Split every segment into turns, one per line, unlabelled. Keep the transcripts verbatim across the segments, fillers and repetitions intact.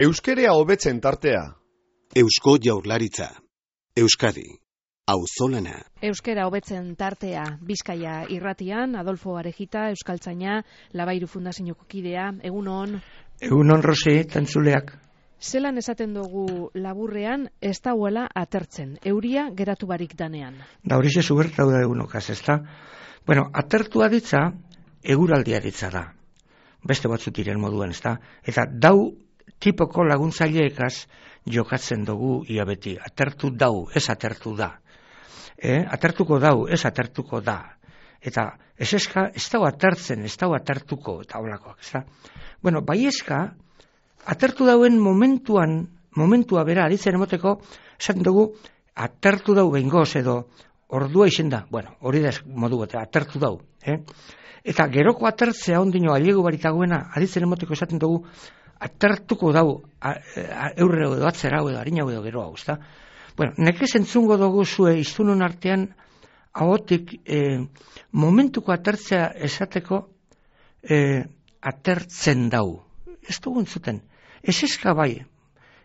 Euskerea hobetzen tartea.
Eusko Jaurlaritza. Euskadi. Auzolana.
Euskera hobetzen tartea. Bizkaia irratian, Adolfo Arejita, Euskaltzaina, Labairu Fundazioko kidea. Egunon.
Egunon, Rosi, tentzuleak.
Zelan esaten dugu laburrean, ez dauela atertzen. Euria geratu barik danean.
Da hori ze zubertau da egunokaz, ez da? Bueno, atertua ditza, eguraldia ditza da. Beste batzut diren moduan, ez da? Eta dau tipoko laguntzaileekaz jokatzen dugu ia beti. Atertu dau, ez atertu da. Eh? Atertuko dau, ez atertuko da. Eta ez eska, ez dau atertzen, ez dau atertuko, eta holakoak, ez da? Bueno, bai eska, atertu dauen momentuan, momentua bera, aditzen emoteko, esaten dugu, atertu dau behingoz edo ordua izen da. Bueno, hori da modu bat, atertu dau. Eh? Eta geroko atertzea ondino aliegu baritagoena, aditzen emoteko esaten dugu, atertuko dau eurre edo atzera edo harina edo gero hau, ezta? Bueno, nekez entzungo dugu zue iztunon artean ahotik e, momentuko atertzea esateko e, atertzen dau. Ez dugu entzuten. Ez eska bai,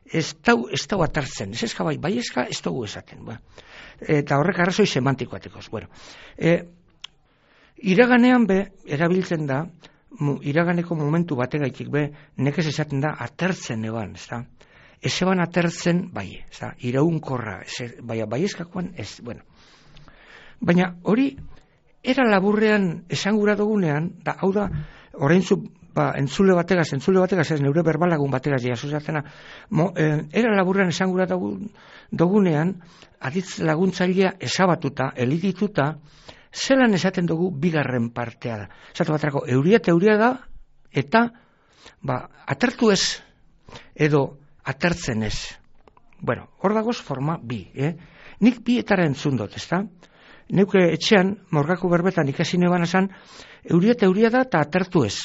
ez dau, ez dau atertzen, ez eska bai, bai eska ez dugu esaten. Bueno, eta horrek arrazoi semantikoatekoz. Bueno, e, iraganean be, erabiltzen da, iraganeko momentu bategaitik be, nekez esaten da atertzen eban, ez da? Ez eban atertzen, bai, ez da? Iraunkorra, bai, bai eskakoan, ez, bueno. Baina hori, era laburrean esangura dugunean, da, hau da, oraintzu, ba, entzule bategaz, entzule bategaz, ez neure berbalagun bategaz, jasuzatena, eh, era laburrean esangura dugunean, aditz laguntzailea esabatuta, elitituta, zelan esaten dugu bigarren partea da. Esatu batrako, euria eta euria da, eta ba, atertu ez, edo atertzen ez. Bueno, hor dagoz forma bi. Eh? Nik bi etara entzun dut, ez da? Neuke etxean, morgako berbetan ikasi neban esan, euria eta euria da, eta atertu ez.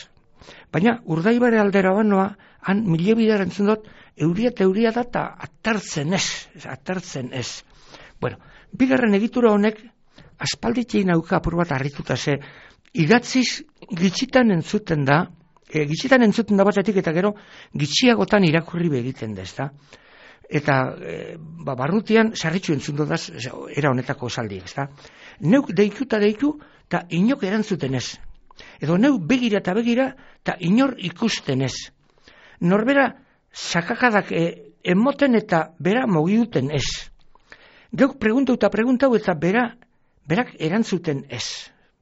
Baina, Urdaibare aldera banoa, han mile bidera entzun dut, euria eta euria da, eta atertzen ez. Atertzen ez. Bueno, bigarren egitura honek, aspalditei nauka apur bat harrituta ze, idatziz gitxitan entzuten da, e, gitxitan entzuten da batetik eta gero gitxiagotan irakurri begiten da, ez da? Eta e, ba, barrutian sarritxu entzun dodaz, era honetako esaldi, ez da? Neuk deikuta deiku eta inok erantzuten ez. Edo neuk begira eta begira eta inor ikusten ez. Norbera sakakadak e, emoten eta bera mogiuten ez. Geuk preguntau eta preguntau eta bera berak erantzuten ez.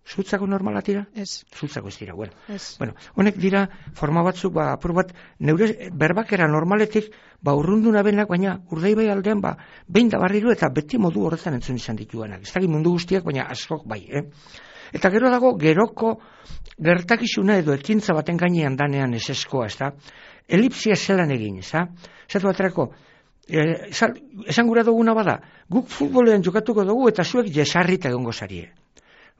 Zutzako normala dira?
Ez.
Zutzako ez dira, bueno.
Ez. Bueno,
honek dira forma batzuk, ba, apur bat, neure berbakera normaletik, ba, urrunduna benak, baina Urdaibai aldean, ba, behin da barriru eta beti modu horretan entzun izan dituanak. Ez dakit mundu guztiak, baina askok bai, eh? Eta gero dago, geroko gertakizuna edo ekintza baten gainean danean ez eskoa, ez da? Elipsia zelan egin, ez da? Zatu baterako, Eh, esan gura duguna bada, guk futbolean jokatuko dugu eta zuek jesarrita egongo zarie.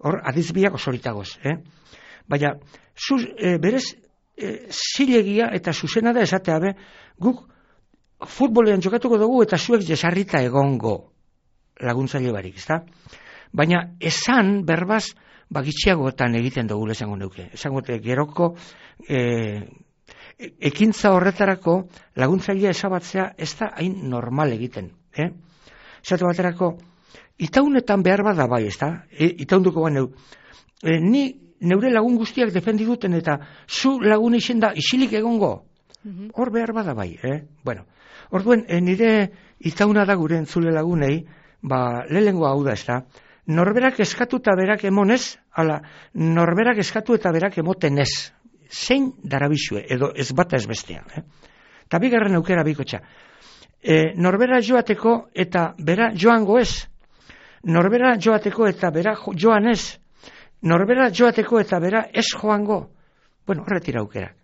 Hor, adizbiak osoritagoz. Eh? Baina, zuz, eh, berez, eh, zilegia eta zuzena da esatea be, guk futbolean jokatuko dugu eta zuek jesarrita egongo laguntzaile barik, ezta? Baina, esan, berbaz, bagitxiagoetan egiten dugu esango neuke. Esango geroko... Eh, ekintza horretarako laguntzailea esabatzea ez da hain normal egiten. Eh? Zatu baterako, itaunetan behar bada bai, ez da? E, itaunduko ba neu. E, ni neure lagun guztiak defendiduten eta zu lagun izen da isilik egongo. Mm-hmm. Hor behar bada bai. Eh? Bueno, orduen, e, nire itauna da gure entzule lagunei, ba, lehengo hau da, ez da? Norberak eskatu eta berak emonez, ala, norberak eskatu eta berak emoten ez. Zein darabizue, edo ez bata ez bestea. Eh? Ta bigarren aukera bikotxa. E, norbera joateko eta bera joango ez. Norbera joateko eta bera joan ez. Norbera joateko eta bera ez joango. Bueno, horretira aukera.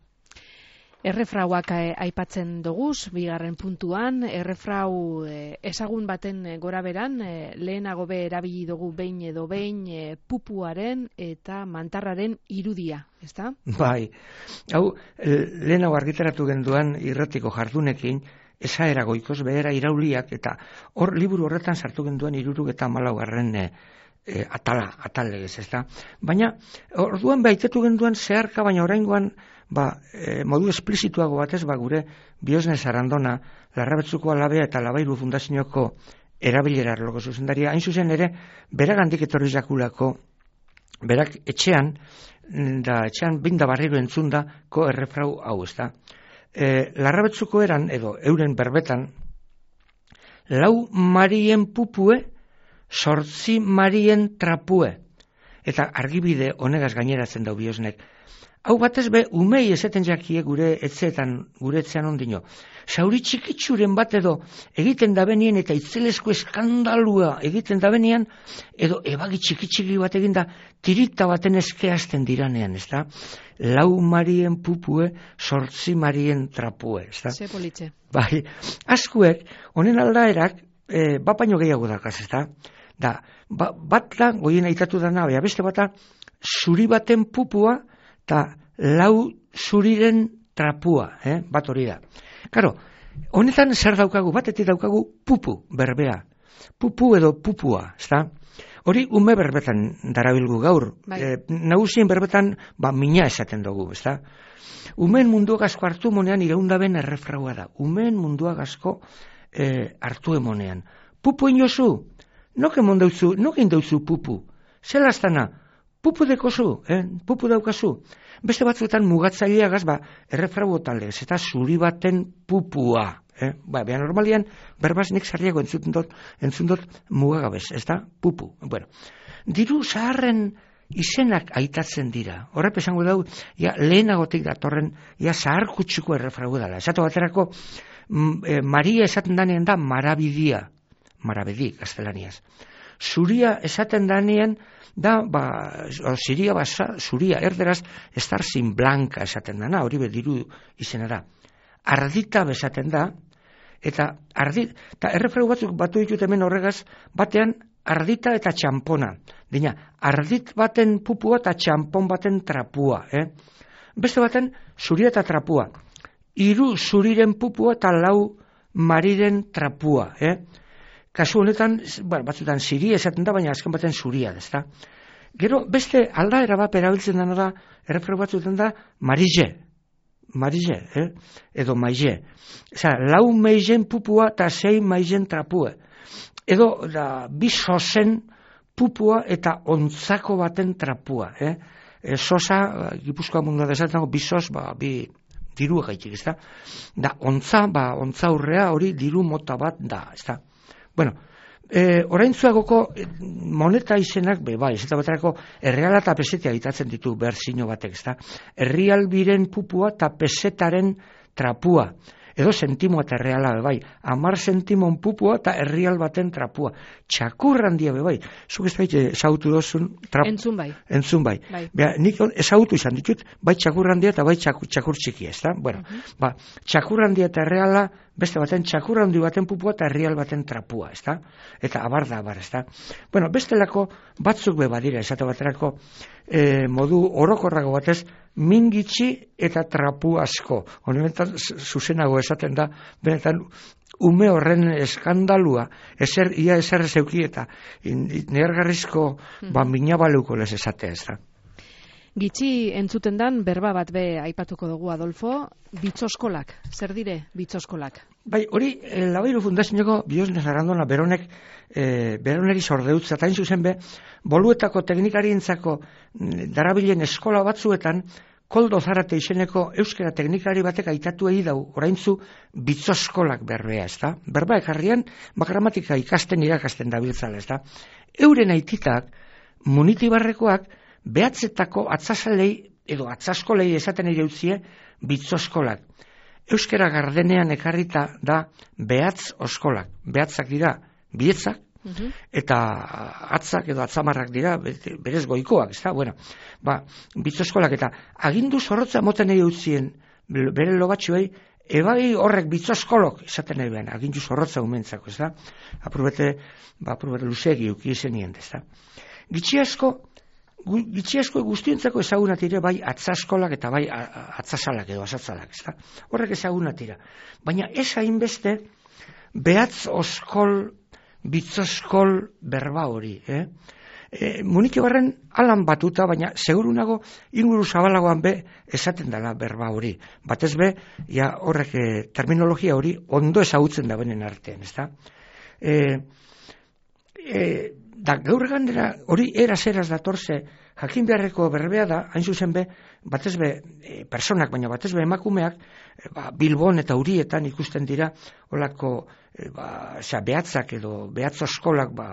Errefrauak aipatzen doguz, bigarren puntuan, errefrau eh, ezagun baten gora beran, eh, lehenago be erabili dugu behin edo behin eh, pupuaren eta mantarraren irudia, ezta?
Bai, hau, lehenago argitaratu genduan irratiko jardunekin, esaera goikoz behera irauliak, eta hor liburu horretan sartu genduan iruruk eta malaugarren eh, e, atala, atal legez, ez da. Baina, orduan behitetu genduan zeharka, baina oraingoan ba, e, modu esplizituago batez, ba, gure Biosnes Arandona, Larrabetzuko Alabea eta Labairu Fundazioko erabilera arloko zuzendaria, hain zuzen ere, beragandik etorri zakulako, berak etxean, da etxean binda barriro entzundako errefrau hau, ez da. E, Larrabetzuko eran, edo euren berbetan, lau marien pupue, sortzi marien trapue. Eta argibide honegaz gaineratzen dau Biosnek. Hau batez be, umei esaten jakie gure etzeetan, gure etzean ondino. Sauri txikitsuren bat edo egiten dabenien eta itzelezko eskandalua egiten dabenien, edo ebagi txikitxiki bat eginda tirita baten eskeazten diranean, ez da? Lau marien pupue, sortzi marien trapue, ez da?
Ze politxe.
Bai, askuek, honen aldaerak, e, bapaino gehiago dakaz, ez da? Da, ba, bat da, goien aitatu dana, bea beste bata, zuri baten pupua, eta lau zuriren trapua, eh? Bat hori da. Karo, honetan zer daukagu, batetik daukagu pupu berbea. Pupu edo pupua, ezta? Hori ume berbetan darabilgu gaur.
Bai.
E, nagusien berbetan, ba, mina esaten dugu, ezta? Umeen mundua gazko hartu monean iraundaben errefraua da. Umeen mundua gazko e, hartu emonean. Pupu inozu? Noke mondauzu, noke indauzu pupu? Zelaztana? Pupu dekozu, eh? Pupu daukazu. Beste batzuetan mugatzaileagaz, ba, errefrau talez, eta zuri baten pupua. Eh? Ba, beha normalian, berbaz nik zarriago entzun dut, entzun dut mugagabez, ez da? Pupu. Bueno, diru zaharren izenak aitatzen dira. Horrep esango dau, ja, lehenagotik datorren, ja, zahar kutsuko errefrau dela. Esatu baterako, e, Maria esaten danean da marabidia. Marabedi, gaztelaniaz. Zuria esaten danean, da, ba, ziria basa, zuria, erderaz, estar sin blanca esaten dana, hori bediru izena da. Ardita besaten da, eta ardit, eta errefrau batzuk batu ditut hemen horregaz, batean ardita eta txampona. Dina, ardit baten pupua eta txampon baten trapua. Eh? Beste baten, zuria eta trapua. Hiru zuriren pupua eta lau mariren trapua. Eh? Kasu honetan, bueno, batzutan ziria esaten da, baina azken baten zuria, ez da. Gero, beste aldaera bat erabiltzen dena da, errefrau batzutan da, marize. Marize, eh? Edo maize. Osa, lau maizen pupua eta sei maizen trapue. Edo, da, bi sosen pupua eta ontzako baten trapua, eh? E, sosa, Gipuzkoa mundua desaten dago, bi sos, ba, bi diru egaitik, ez da. Da, ontza, ba, ontza urrea hori diru mota bat da, ez da. Bueno, e, oraintzuagoko moneta izenak, be, bai, ez eta baterako erreala eta pesetea egitatzen ditu berzino batek, ez da. Errealbiren pupua eta pesetaren trapua. Edo sentimoa eta erreala, be, bai. Amar sentimon pupua eta erreal baten trapua. Txakurran dia, be, bai. Zuk ez baita ezagutu dozun... Trap...
Entzun bai.
Entzun bai.
bai.
Bea, nik ezagutu izan ditut, bai txakurran dia eta bai txakur, txakur txiki, ez da. Bueno, uh -huh. Ba, txakurran dia eta erreala, beste baten txakurran di baten pupua eta erreal baten trapua, ez da. Eta abar da, abar, ez da. Bueno, bestelako batzuk be badira, esate baterako e, modu orokorrago batez, mingitxi eta trapu asko. Honetan zuzenago esaten da, benetan ume horren eskandalua, ezer, ia ezer zeuki eta nehargarrizko hmm. ba, minabaluko les esatea, ez da.
Gitxi entzuten dan, berba bat be aipatuko dugu, Adolfo, bitzoskolak. Zer dire bitzoskolak?
Bai, hori, eh, Labairu Fundazioko Biosnes Arandona beronek, eh, beroneri sordeutza, eta zuzen be, boluetako teknikarientzako darabilen eskola batzuetan, Koldo Zarate izeneko euskera teknikari batek aitatu egi dau, oraintzu bitzoskolak berbea, ez da? Berba ekarrian, gramatika ikasten irakasten dabiltzala, ez da? Euren aititak, munitibarrekoak, behatzetako atzasalei, edo atzaskolei esaten ere utzie, bitzoskolak. Euskera gardenean ekarrita da behatz oskolak. Behatzak dira bietzak, uh-huh. eta atzak edo atzamarrak dira berez goikoak, ez da? Bueno, ba, bitzoskolak eta agindu zorrotza moten ere utzien bere lobatxuei, ebai horrek bitzoskolok esaten ere behan, agindu zorrotza umentzako, ez da? Aprobete, ba, aprobete luzegi uki izenien, ez da? Gitxi asko, Gitxi asko guztientzako ezagunat ere bai atzaskolak eta bai atzasalak edo asatzalak, ez da? Horrek ezagunat dira. Baina ez hainbeste behatz oskol, bitzoskol berba hori, eh? e, munitxogarren alan batuta, baina segurunago inguru zabalagoan be esaten dela berba hori. Batez be, ja horrek e, terminologia hori ondo ezagutzen da benen artean, ezta? E, e, da gaur gandera hori eraz eraz datorze jakin beharreko berbea da, hain zuzen be, batez be e, personak, baina batez be emakumeak, e, ba, Bilbon eta Urietan ikusten dira olako e, ba, osea, behatzak edo behatzo eskolak ba,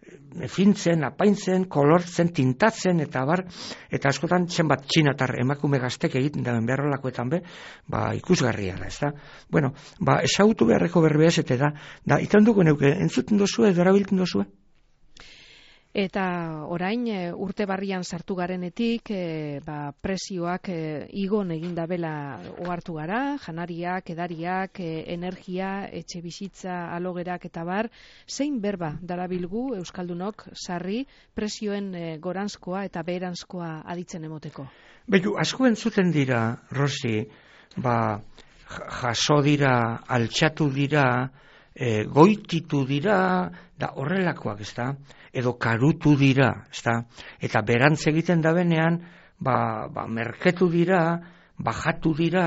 e, fintzen, apaintzen, kolortzen, tintatzen eta bar, eta askotan zenbat txinatar emakume gaztek egiten daben beharrolakoetan be, ba, ikusgarria da, ez da? Bueno, ba, esagutu beharreko berbea zete da, da, itan dugu neuke, entzuten dozue edo erabilten dozue?
Eta orain e, urte barrian sartu garenetik e, ba, presioak e, igon egin dabela ohartu gara, janariak, edariak, e, energia, etxe bizitza, alogerak eta bar, zein berba darabilgu Euskaldunok sarri presioen e, goranzkoa eta beheranzkoa aditzen emoteko?
Behu, asko entzuten dira, Rosi, ba, jaso dira, altxatu dira, e, goititu dira, da horrelakoak, ez da? Edo karutu dira, ezta? Eta berantz egiten da benean, ba, ba, merketu dira, bajatu dira,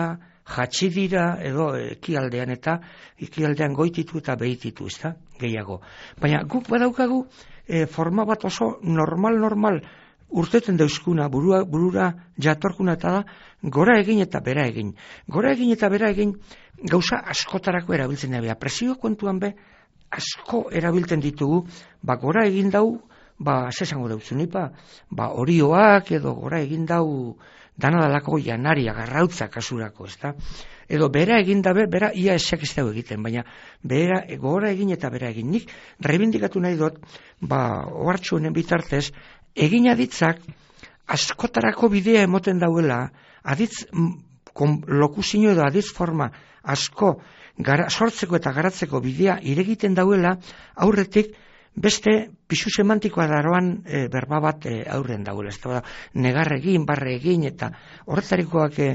jatsi dira, edo ekialdean eta ekialdean goititu eta behititu, ezta? Gehiago. Baina guk badaukagu e, forma bat oso normal-normal urteten dauzkuna, burua, burura jatorkuna eta da, gora egin eta bera egin. Gora egin eta bera egin gauza askotarako erabiltzen da, presio kontuan be, asko erabiltzen ditugu, ba gora egin dau, ba zesango dautzu nipa, ba orioak edo gora egin dau danadalako janaria, garrautza kasurako, ezta? Edo bera egin dabe, bera ia esek ez dago egiten, baina bera, gora egin eta bera egin. Nik reibindikatu nahi dut, ba ohartxu honen bitartez, egin aditzak askotarako bidea emoten dauela, aditz lokuzio edo aditz forma asko gara, sortzeko eta garatzeko bidea iregiten dauela, aurretik beste pisu semantikoa daroan e, berba bat e, aurren dauela. Ez da, negar egin, barre egin, eta horretarikoak e,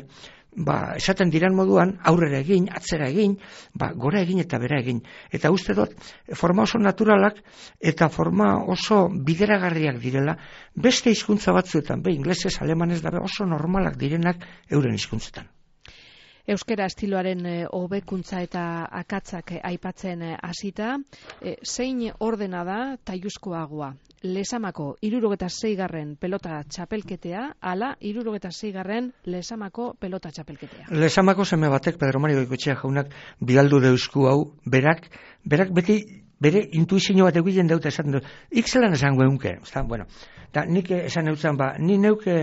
ba, esaten diran moduan, aurrera egin, atzera egin, ba, gora egin eta bera egin. Eta uste dut, forma oso naturalak eta forma oso bideragarriak direla, beste hizkuntza batzuetan, be, inglesez, alemanez dabe oso normalak direnak euren hizkuntzetan.
Euskera estiloaren hobekuntza eta akatzak aipatzen hasita, e, zein ordena da taiuzkoagoa? Lesamako hirurogeta seigarren pelota txapelketea, ala hirurogeta seigarren Lesamako pelota txapelketea.
Lesamako seme batek, Pedro Mario Goikoetxea jaunak bidaldu deusku hau, berak, berak beti bere intuizio bat egiten dute esaten dut. Ikzelan esango eunke, ezta? Bueno, da nik esan eutzen ba, ni neuke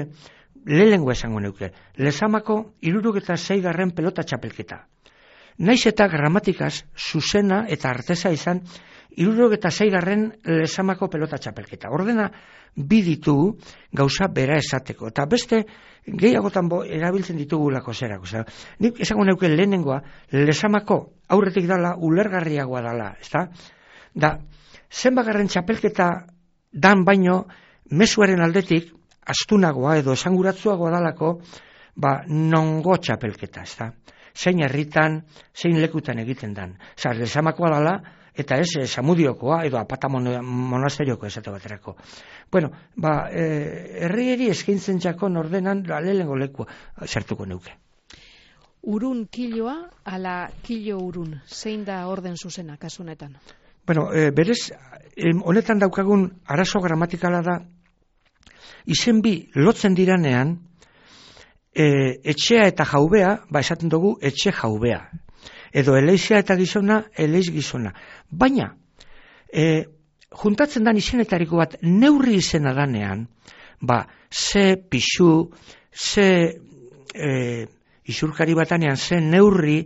lehengo esango neuke. Lesamako hirurogeta seigarren pelota txapelketa. Naiz eta gramatikaz zuzena eta arteza izan hirurogeta seigarren Lesamako pelota txapelketa. Ordena bi ditugu gauza bera esateko. Eta beste gehiagotan bo, erabiltzen ditugulako zerako. Zer. Nik esango neuke lehenengoa Lesamako aurretik dala ulergarriagoa dala. Ezta? Da, zenbagarren txapelketa dan baino mezuaren aldetik astunagoa edo esanguratzuagoa dalako, ba, nongo txapelketa, ez da? Zein herritan, zein lekutan egiten dan. Zar, Lesamakoa dala, eta ez, Samudiokoa, edo Apata monasterioko esate baterako. Bueno, ba, e, herrieri eskaintzen txakon ordenan, lehengo lekua zertuko neuke.
Urun kiloa, ala kilo urun, zein da orden zuzena, kasunetan?
Bueno, e, berez, honetan daukagun arazo gramatikala da, izen bi lotzen diranean, e, etxea eta jaubea, ba esaten dugu etxe jaubea. Edo eleizia eta gizona, eleiz gizona. Baina, e, juntatzen dan izenetariko bat neurri izena danean, ba, ze pixu, ze e, isurkari batanean, ze neurri,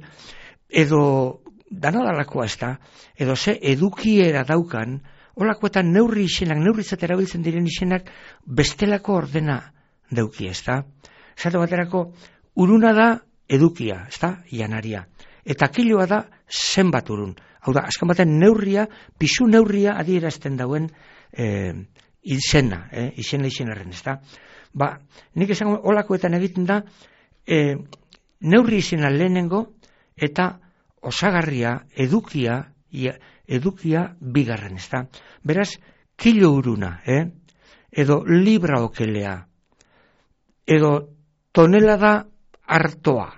edo danadalakoa ez da, edo ze edukiera daukan, holakoetan neurri izenak, neurritzat erabiltzen diren izenak bestelako ordena dauki, ez da? Zate baterako, uruna da edukia, ez da? Janaria. Eta kiloa da zenbat urun. Hau da, azkan baten neurria, pisu neurria adierazten dauen e, izena, e, izena izenarren, ez da? Ba, nik esango holakoetan egiten da, e, neurri izena lehenengo eta osagarria, edukia, ia, edukia bigarren, ez da? Beraz, kilo uruna, eh? edo libra okelea, edo tonelada hartoa,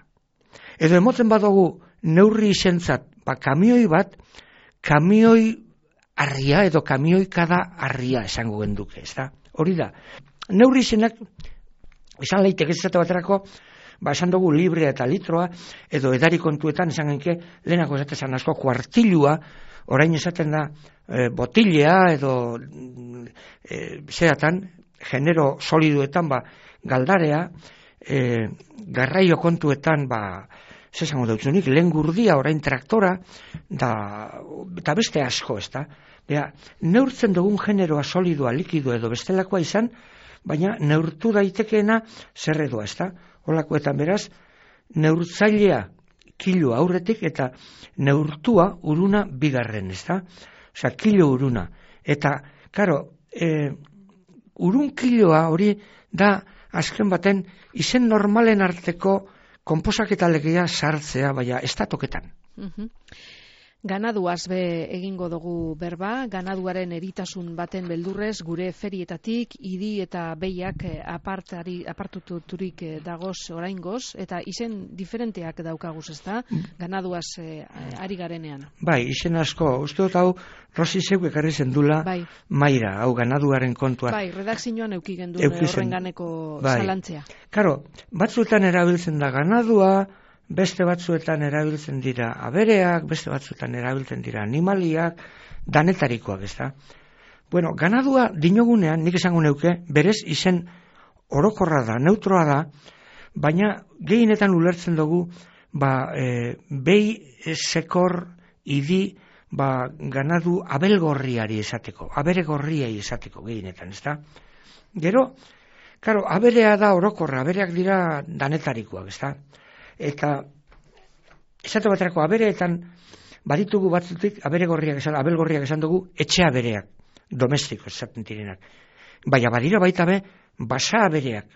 edo emoten badugu neurri izentzat, ba, kamioi bat, kamioi arria edo kamioikada arria esango genduke, ez da? Hori da, neurri izenak, esan lehitek ez zate baterako, ba, esan dugu librea eta litroa, edo edari kontuetan esan genke, lehenako esaten asko kuartilua, orain esaten da e, botilea edo e, zeratan, genero soliduetan, ba, galdarea, e, garraio kontuetan, ba, zesango dautzunik, lehen gurdia, orain traktora, da, eta beste asko, ez da? Bea, neurtzen dugun generoa solidua, likidu edo bestelakoa izan, baina neurtu daitekeena zer edoa, ez da? Holakoetan beraz, neurtzailea kilo aurretik eta neurtua uruna bigarren, ez da? Osea, kilo uruna. Eta, karo, e, urun kiloa hori da azken baten izen normalen arteko konposaketa legea sartzea, baina ez da toketan.
Uh-huh. Ganaduaz be egingo dugu berba, ganaduaren eritasun baten beldurrez, gure ferietatik, idi eta behiak apartari, apartuturik dagoz oraingoz, eta izen diferenteak daukaguz, ez da, ganaduaz eh, ari garenean.
Bai, izen asko, uste dut hau, Rosi zeuk ekarri zendula, bai. Maira, hau ganaduaren kontua.
Bai, redakzioan euki genduen horren ganeko bai. Zalantzea.
Karo, batzuetan erabiltzen da ganadua, beste batzuetan erabiltzen dira abereak, beste batzuetan erabiltzen dira animaliak, danetarikoak, ez da? Bueno, ganadua dinogunean, nik esango neuke, berez izen orokorra da, neutroa da, baina gehienetan ulertzen dugu, ba, e, behi sekor idi, ba, ganadu abelgorriari esateko, abere gorriai esateko gehienetan, ez da? Gero, karo, aberea da orokorra, abereak dira danetarikoak, ez da? Eta esate baterako abereetan baditugu batzutik abere gorriak esan, abel gorriak esan dugu etxe abereak, domestiko esaten direnak. Baina badira baita be basa abereak,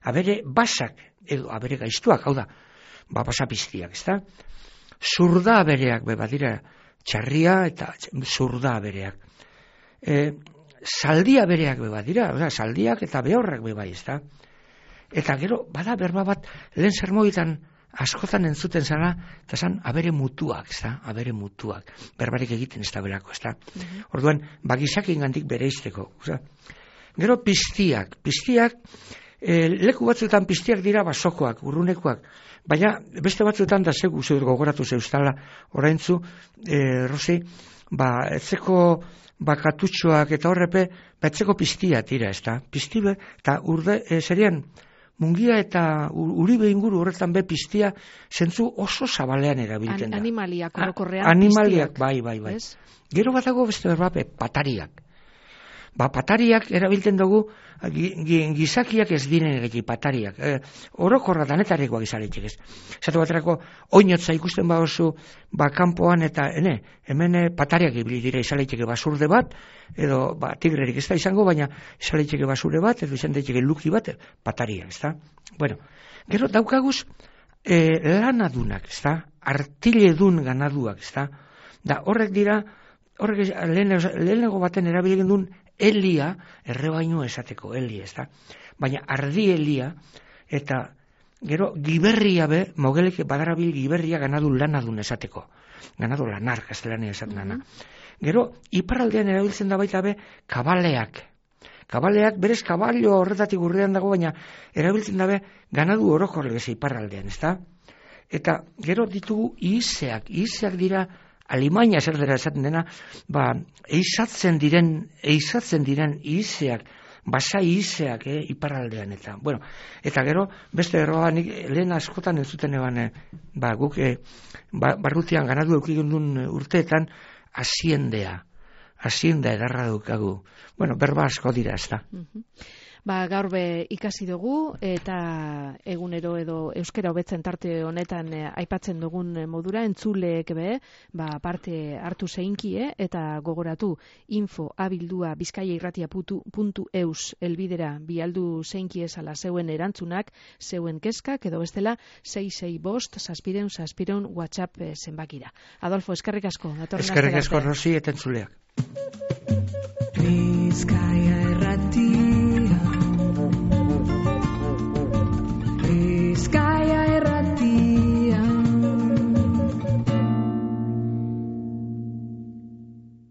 abere basak edo abere gaiztuak, hau da, ba basa piztiak, ezta? Zurda abereak be badira txarria eta zurda abereak. E, zaldi abereak be badira, oza, zaldiak eta behorrak be bai, ezta? Eta gero bada berba bat lehen sermoitan askotan entzuten zara, eta zan, abere mutuak, ez da, abere mutuak, berbarik egiten ez da belako, ez da. Mm-hmm. Orduan, bagizak ingandik bere izteko. Gero piztiak, piztiak, e, leku batzuetan piztiak dira basokoak, urrunekoak, baina beste batzuetan da zegu zeur gogoratu zeustala, oraintzu, e, Rosi, ba, etzeko bakatutxoak eta horrepe, ba, etzeko piztia tira, ez da. Piztibe, eta urde, e, serian, Mungia eta Uribe inguru horretan be piztia zentzu oso zabalean erabiltzen da.
An, animaliak orokorrean
animaliak, piztiak. Bai, bai, bai. Es? Gero batago beste berbape, patariak. Ba, patariak erabiltzen dugu gizakiak ez diren egin patariak. E, orokorra danetarikoak izaletxek ez. Zatu baterako, oinotza ikusten ba oso, ba, kanpoan eta, ene, hemen patariak ibili dira izaletxeke basurde bat, edo, ba, tigrerik ez da izango, baina izaletxeke basure bat, edo izan daiteke luki bat, pataria, ez da? Bueno, gero daukaguz, e, lanadunak, ez da? Artiledun ganaduak, ez da? Da, horrek dira, horrek lehenego baten erabilegen duen elia, errebaino esateko, elia, ez da? Baina ardi elia, eta gero giberria be, mogelek badarabil giberria ganadu lanadun esateko. Ganadu lanar, kastelania esaten dana. Gero, iparraldean erabiltzen da baita be, kabaleak. Kabaleak, berez kaballo horretatik urrean dago, baina erabiltzen da be, ganadu orokorle beze iparraldean, ez da? Eta gero ditugu izeak, izeak dira, Alemania zer dira esaten dena, ba, eizatzen diren, eizatzen diren izeak, basai izeak, eh, iparraldean eta, bueno, eta gero, beste erroa, nik lehen askotan entzuten eban, eh, ba, guk, eh, ba, barrutian ganadu eukigun duen urteetan, haziendea, hazienda edarra dukagu. Bueno, berba asko dira, ez da.
Uh-huh. Ba, gaur be ikasi dugu eta egunero edo euskera hobetzen tarte honetan eh, aipatzen dugun modura entzuleek be, ba, parte hartu zeinkie eta gogoratu info abildua bizkaiairratia puntu eus elbidera bialdu zeinkie esala zeuen erantzunak, zeuen kezkak edo bestela sei sei bost zazpireun zazpireun WhatsApp eh, zenbakira. Adolfo, eskerrik asko.
Eskerrik asko, Rosi, eta entzuleak.
Bizkaia irratia